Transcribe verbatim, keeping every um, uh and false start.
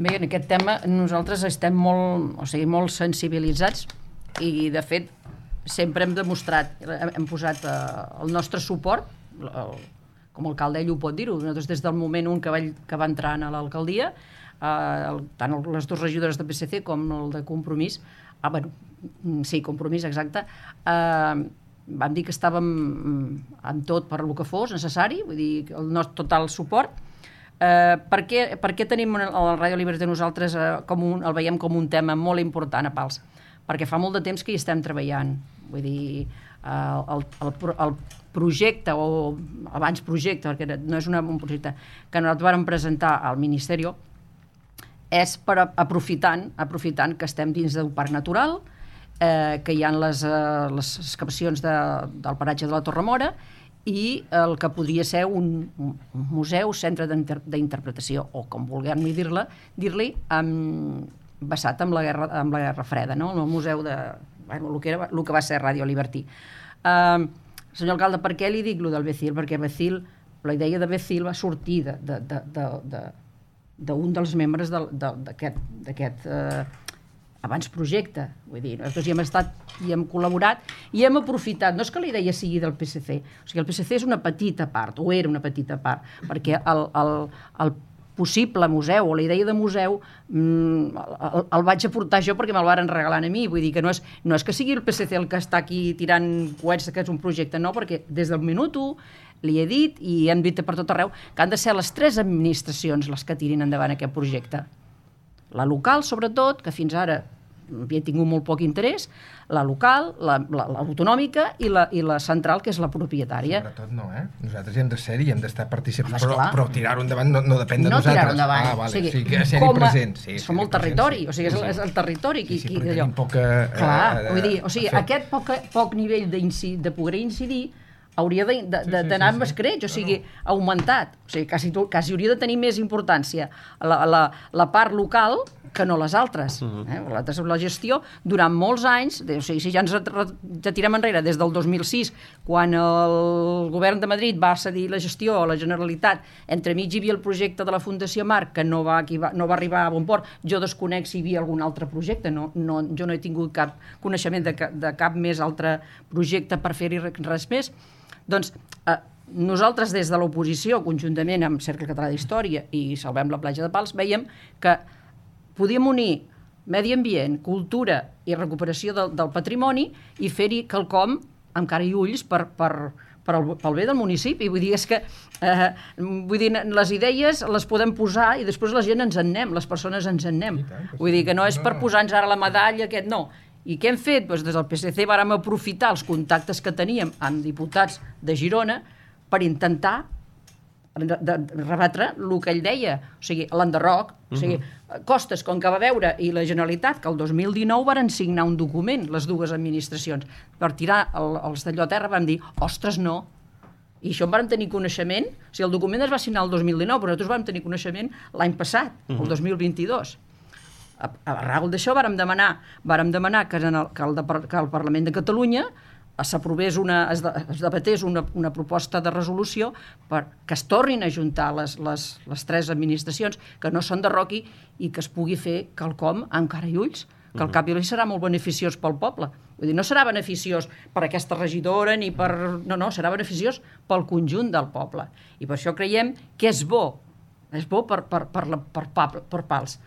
Bé, en aquest tema nosaltres estem molt, o sigui, molt sensibilitzats i, de fet, sempre hem demostrat, hem posat eh, el nostre suport, el, com el alcalde ell ho pot dir-ho, nosaltres des del moment un que va, que va entrar a l'alcaldia, eh, el, tant el, les dues regidores de P S C com el de Compromís, ah, bueno, sí, Compromís, exacte, eh, vam dir que estàvem amb tot per lo que fos necessari, vull dir, el nostre total suport. Eh, per, què, per què tenim el Ràdio Liberty nosaltres eh, com un, el veiem com un tema molt important a Pals? Perquè fa molt de temps que hi estem treballant. Vull dir, eh, el, el, el projecte, o abans projecte, perquè no és una, un projecte que nosaltres vam presentar al Ministeri, és per aprofitant, aprofitant que estem dins d'un parc natural, eh, que hi ha les, eh, les excavacions de, del paratge de la Torremora, i el que podria ser un, un museu, centre d'interpretació, o com vulguem dir-li, dir-li basat en la guerra, en la Guerra Freda, no? El museu de... Bueno, el que, era, el que va ser Ràdio Liberty. Uh, senyor alcalde, per què li dic lo del Becil? Perquè Becil, la idea de Becil va sortir d'un de, de, de, de, de dels membres d'aquest... Uh, abans projecte, vull dir, nosaltres hi hem estat, hi hem col·laborat i hem aprofitat, no és que la idea sigui del P S C, o sigui, el P S C és una petita part, o era una petita part, perquè el, el, el possible museu o la idea de museu mmm, el, el vaig aportar jo perquè me'l varen regalar a mi, vull dir que no és, no és que sigui el P S C el que està aquí tirant coets que és un projecte, no, perquè des del minut u li he dit i hem dit per tot arreu que han de ser les tres administracions les que tirin endavant aquest projecte. La local, sobretot, que fins ara havia tingut molt poc interès, la local, l'autonòmica la, la, i, la, i la central, que és la propietària. Sobretot no, eh? Nosaltres hi hem de ser i hem d'estar participant, però, però tirar-ho endavant no, no depèn de no nosaltres. No tirar-ho endavant. Ah, vale. O sigui, o sigui, que ser-hi present. Sí, som el territori, sí. O sigui, és, és el territori. Qui, sí, sí, qui, però tenim poca... Clar, eh, vull dir, o sigui, aquest poc, poc nivell de poder incidir hauria d'anar sí, sí, sí, amb escreix, o sigui, augmentat. O sigui, quasi, quasi hauria de tenir més importància la, la, la part local que no les altres. Uh-huh. eh? La, la gestió, durant molts anys, o sigui, si ja ens retirem enrere des del dos mil sis, quan el govern de Madrid va cedir la gestió a la Generalitat, entremig hi havia el projecte de la Fundació Marc, que no va, no va arribar a bon port, jo desconec si hi havia algun altre projecte, no, no, jo no he tingut cap coneixement de, de cap més altre projecte per fer-hi res més. Doncs eh, nosaltres des de l'oposició, conjuntament amb Cercle Català d'Història i Salvem la Platja de Pals, veiem que podíem unir medi ambient, cultura i recuperació del, del patrimoni i fer-hi quelcom amb cara i ulls per, per, per el, pel bé del municipi. Vull dir, és que eh, vull dir, les idees les podem posar i després la gent ens en anem, les persones ens en anem. Vull dir que no és per posar-nos ara la medalla, aquest no. I què hem fet? Doncs des del P S C vàrem aprofitar els contactes que teníem amb diputats de Girona per intentar de, de rebatre el que ell deia, o sigui, l'enderroc, o sigui, uh-huh. Costes, com que va veure, i la Generalitat, que el dos mil dinou varen signar un document, les dues administracions, per tirar el, els d'allò a terra, vam dir, ostres, no. I això en vam tenir coneixement, o sigui, el document es va signar el dos mil dinou, però nosaltres vam tenir coneixement l'any passat, uh-huh. el dos mil vint-i-dos. A, a raó d'això vàrem demanar, vàrem demanar que, en el, que, el, que el Parlament de Catalunya s'aprovés una, es, de, es debatés una, una proposta de resolució per que es tornin a juntar les, les, les tres administracions, que no s'enderroqui i que es pugui fer quelcom amb cara i ulls, que al cap i a l'ull serà molt beneficiós pel poble. Vull dir, no serà beneficiós per aquesta regidora ni per... No, no, serà beneficiós pel conjunt del poble. I per això creiem que és bo, és bo per, per, per, la, per, per, per Pals.